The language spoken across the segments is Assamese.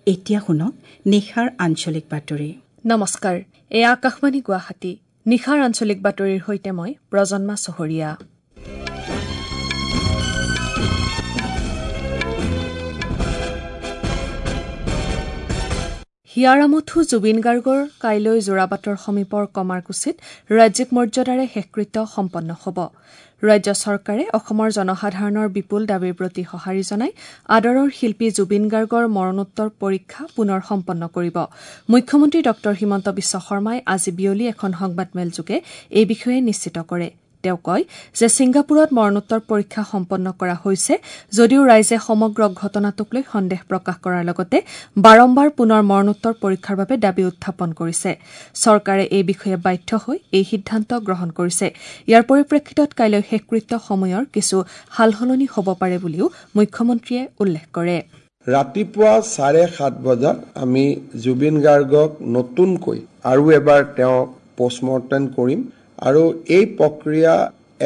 এতিয়া শুনক নিশাৰ আঞ্চলিক বাতৰি। নমস্কাৰ, এয়া আকাশবাণী গুৱাহাটী। নিশাৰ আঞ্চলিক বাতৰিৰ সৈতে মই প্ৰজন্মা চহৰীয়া। হিয়াৰ আমঠু জুবিন গাৰ্গৰ কাইলৈ যোৰাবাটৰ সমীপৰ কমাৰকুছিত ৰাজ্যিক মৰ্যাদাৰে শেষকৃত্য সম্পন্ন হ'ব। ৰাজ্য চৰকাৰে অসমৰ জনসাধাৰণৰ বিপুল দাবীৰ প্ৰতি সঁহাৰি জনাই আদৰৰ শিল্পী জুবিন গাৰ্গৰ মৰণোত্তৰ পৰীক্ষা পুনৰ সম্পন্ন কৰিব। মুখ্যমন্ত্ৰী ডঃ হিমন্ত বিশ্ব শৰ্মাই আজি বিয়লি এখন সংবাদমেলযোগে এই বিষয়ে নিশ্চিত কৰে। তেওঁ কয় যে ছিংগাপুৰত মৰণোত্তৰ পৰীক্ষা সম্পন্ন কৰা হৈছে যদিও ৰাইজে সমগ্ৰ ঘটনাটোক লৈ সন্দেহ প্ৰকাশ কৰাৰ লগতে বাৰম্বাৰ পুনৰ মৰণোত্তৰ পৰীক্ষাৰ বাবে দাবী উত্থাপন কৰিছে। চৰকাৰে এই বিষয়ে বাধ্য হৈ এই সিদ্ধান্ত গ্ৰহণ কৰিছে। ইয়াৰ পৰিপ্ৰেক্ষিতত কাইলৈ শেষকৃত্য সময়ৰ কিছু সালসলনি হ'ব পাৰে বুলিও মুখ্যমন্ত্ৰীয়ে উল্লেখ কৰে। ৰাতিপুৱা 7:30 বজাত আমি জুবিন গাৰ্গক নতুনকৈ আৰু এবাৰ তেওঁক পষ্টমৰ্টেম কৰিম আৰু এই প্ৰক্ৰিয়া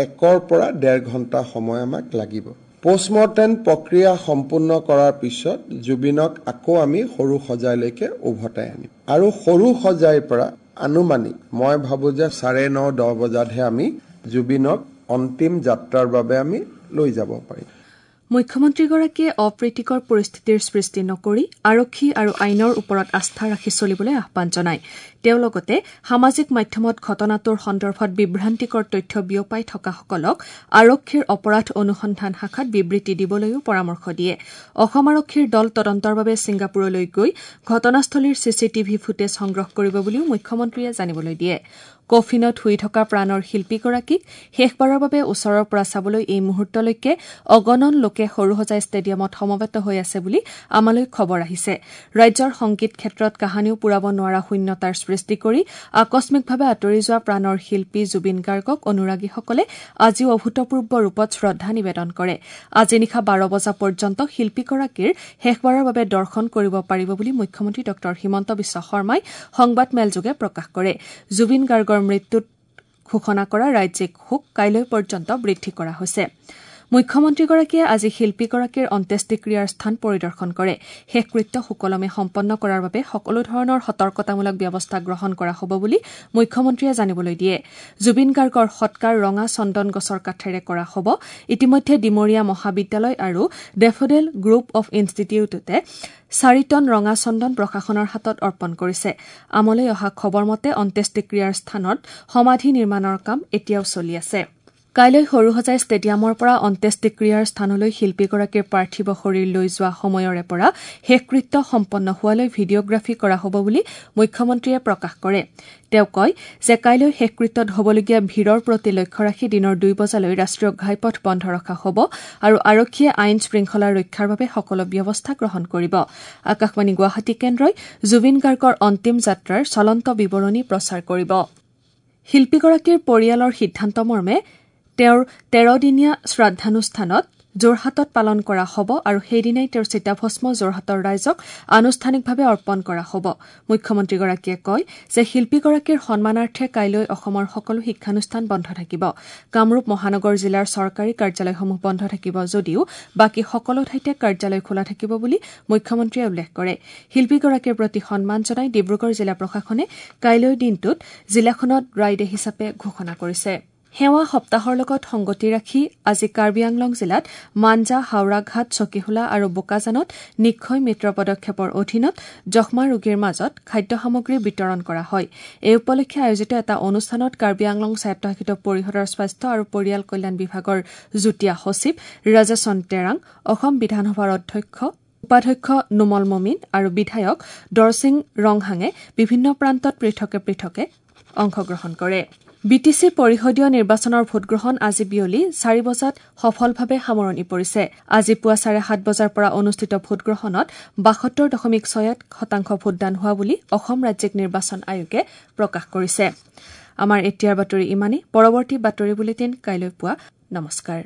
1 পৰা 1.5 ঘণ্টা সময় আমাক লাগিব। পষ্টমৰ্টেম প্ৰক্ৰিয়া সম্পূৰ্ণ কৰাৰ পিছত জুবিনক আকৌ আমি সৰু সজাইলৈকে উভতাই আনিম আৰু সৰু সজাইৰ পৰা আনুমানিক মই ভাবোঁ যে 9:30 10 বজাতহে আমি জুবিনক অন্তিম যাত্ৰাৰ বাবে আমি লৈ যাব পাৰিম। মুখ্যমন্ত্ৰীগৰাকীয়ে অপ্ৰীতিকৰ পৰিস্থিতিৰ সৃষ্টি নকৰি আৰক্ষী আৰু আইনৰ ওপৰত আস্থা ৰাখি চলিবলৈ আহ্বান জনায়। তেওঁ লগতে সামাজিক মাধ্যমত ঘটনাটোৰ সন্দৰ্ভত বিভ্ৰান্তিকৰ তথ্য বিয়পাই থকাসকলক আৰক্ষীৰ অপৰাধ অনুসন্ধান শাখাত বিবৃতি দিবলৈও পৰামৰ্শ দিয়ে। অসম আৰক্ষীৰ দল তদন্তৰ বাবে ছিংগাপুৰলৈ গৈ ঘটনাস্থলীৰ চিচিটিভি ফুটেজ সংগ্ৰহ কৰিব বুলিও মুখ্যমন্ত্ৰীয়ে জানিবলৈ দিয়ে। কফিনত শুই থকা প্ৰাণৰ শিল্পীগৰাকীক শেষবাৰৰ বাবে ওচৰৰ পৰা চাবলৈ এই মুহূৰ্তলৈকে অগণন লোকে সৰুসজাই ষ্টেডিয়ামত সমবেত হৈ আছে বুলি আমালৈ খবৰ আহিছে। ৰাজ্যৰ সংগীত ক্ষেত্ৰত কাহানিও পূৰাব নোৱাৰা শূন্যতাৰ সৃষ্টি কৰি আকস্মিকভাৱে আঁতৰি যোৱা প্ৰাণৰ শিল্পী জুবিন গাৰ্গক অনুৰাগীসকলে আজিও অভূতপূৰ্ব ৰূপত শ্ৰদ্ধা নিবেদন কৰে। আজি নিশা 12 বজা পৰ্যন্ত শিল্পীগৰাকীৰ শেষবাৰৰ বাবে দৰ্শন কৰিব পাৰিব বুলি মুখ্যমন্ত্ৰী ডঃ হিমন্ত বিশ্ব শৰ্মাই সংবাদমেলযোগে প্ৰকাশ কৰে। জুবিন গাৰ্গৰ মৃত্যুত ঘোষণা কৰা ৰাজ্যিক শোক কাইলৈ পৰ্যন্ত বৃদ্ধি কৰা হৈছে। মুখ্যমন্ত্ৰীগৰাকীয়ে আজি শিল্পীগৰাকীৰ অন্ত্যেষ্টিক্ৰিয়াৰ স্থান পৰিদৰ্শন কৰে। শেষকৃত্য সুকলমে সম্পন্ন কৰাৰ বাবে সকলো ধৰণৰ সতৰ্কতামূলক ব্যৱস্থা গ্ৰহণ কৰা হ'ব বুলি মুখ্যমন্ত্ৰীয়ে জানিবলৈ দিয়ে। জুবিন গাৰ্গৰ সৎকাৰ ৰঙা চন্দন গছৰ কাঠেৰে কৰা হ'ব। ইতিমধ্যে ডিমৰীয়া মহাবিদ্যালয় আৰু ডেফোডেল গ্ৰুপ অৱ ইনষ্টিটিউটে 4 টন ৰঙা চন্দন প্ৰশাসনৰ হাতত অৰ্পণ কৰিছে। আমলৈ অহা খবৰ মতে অন্ত্যেষ্টিক্ৰিয়াৰ স্থানত সমাধি নিৰ্মাণৰ কাম এতিয়াও চলি আছে। কাইলৈ সৰুসজাই ষ্টেডিয়ামৰ পৰা অন্ত্যেষ্টিক্ৰিয়াৰ স্থানলৈ শিল্পীগৰাকীৰ পাৰ্থিৱ শৰীৰ লৈ যোৱা সময়ৰে পৰা শেষকৃত্য সম্পন্ন হোৱালৈ ভিডিঅ'গ্ৰাফী কৰা হ'ব বুলি মুখ্যমন্ত্ৰীয়ে প্ৰকাশ কৰে। তেওঁ কয় যে কাইলৈ শেষকৃত্যত হ'বলগীয়া ভিৰৰ প্ৰতি লক্ষ্য ৰাখি দিনৰ 2 বজালৈ ৰাষ্ট্ৰীয় ঘাইপথ বন্ধ ৰখা হ'ব আৰু আৰক্ষীয়ে আইন শৃংখলা ৰক্ষাৰ বাবে সকলো ব্যৱস্থা গ্ৰহণ কৰিব। আকাশবাণী গুৱাহাটী কেন্দ্ৰই জুবিন গাৰ্গৰ অন্তিম যাত্ৰাৰ চলন্ত বিৱৰণী প্ৰচাৰ কৰিব। শিল্পীগৰাকীৰ পৰিয়ালৰ সিদ্ধান্ত মৰ্মে তেওঁৰ 13দিনীয়া শ্ৰাদ্ধানুষ্ঠানত যোৰহাটত পালন কৰা হ'ব আৰু সেইদিনাই তেওঁৰ চিতাভস্ম যোৰহাটৰ ৰাইজক আনুষ্ঠানিকভাৱে অৰ্পণ কৰা হ'ব। মুখ্যমন্ত্ৰীগৰাকীয়ে কয় যে শিল্পীগৰাকীৰ সন্মানাৰ্থে কাইলৈ অসমৰ সকলো শিক্ষানুষ্ঠান বন্ধ থাকিব। কামৰূপ মহানগৰ জিলাৰ চৰকাৰী কাৰ্যালয়সমূহ বন্ধ থাকিব যদিও বাকী সকলো ঠাইতে কাৰ্যালয় খোলা থাকিব বুলি মুখ্যমন্ত্ৰীয়ে উল্লেখ কৰে। শিল্পীগৰাকীৰ প্ৰতি সন্মান জনাই ডিব্ৰুগড় জিলা প্ৰশাসনে কাইলৈৰ দিনটোত জিলাখনত ড্ৰাই ডে হিচাপে ঘোষণা কৰিছে। সেৱা সপ্তাহৰ লগত সংগতি ৰাখি আজি কাৰ্বি আংলং জিলাত মাঞ্জা, হাওৰাঘাট, চকীহোলা আৰু বোকাজানত নিক্ষয় মিত্ৰ পদক্ষেপৰ অধীনত যক্ষ্মা ৰোগীৰ মাজত খাদ্য সামগ্ৰী বিতৰণ কৰা হয়। এই উপলক্ষে আয়োজিত এটা অনুষ্ঠানত কাৰ্বি আংলং স্বায়ত্তশাসিত পৰিষদৰ স্বাস্থ্য আৰু পৰিয়াল কল্যাণ বিভাগৰ যুটীয়া সচিব ৰাজেশন টেৰাং, অসম বিধানসভাৰ উপাধ্যক্ষ নোমল মমিন আৰু বিধায়ক দৰছিং ৰংহাঙে বিভিন্ন প্ৰান্তত পৃথকে পৃথকে অংশগ্ৰহণ কৰে। বিটিচি পৰিষদীয় নিৰ্বাচনৰ ভোটগ্ৰহণ আজি বিয়লি 4 বজাত সফলভাৱে সামৰণি পৰিছে। আজি পুৱা 7:30 বজাৰ পৰা অনুষ্ঠিত ভোটগ্ৰহণত 72.68% ভোটদান হোৱা বুলি অসম ৰাজ্যিক নিৰ্বাচন আয়োগে প্ৰকাশ কৰিছে। আমাৰ এতিয়াৰ বাতৰি ইমানেই। পৰৱৰ্তী বাতৰি বুলেটিন কাইলৈ পুৱা। নমস্কাৰ।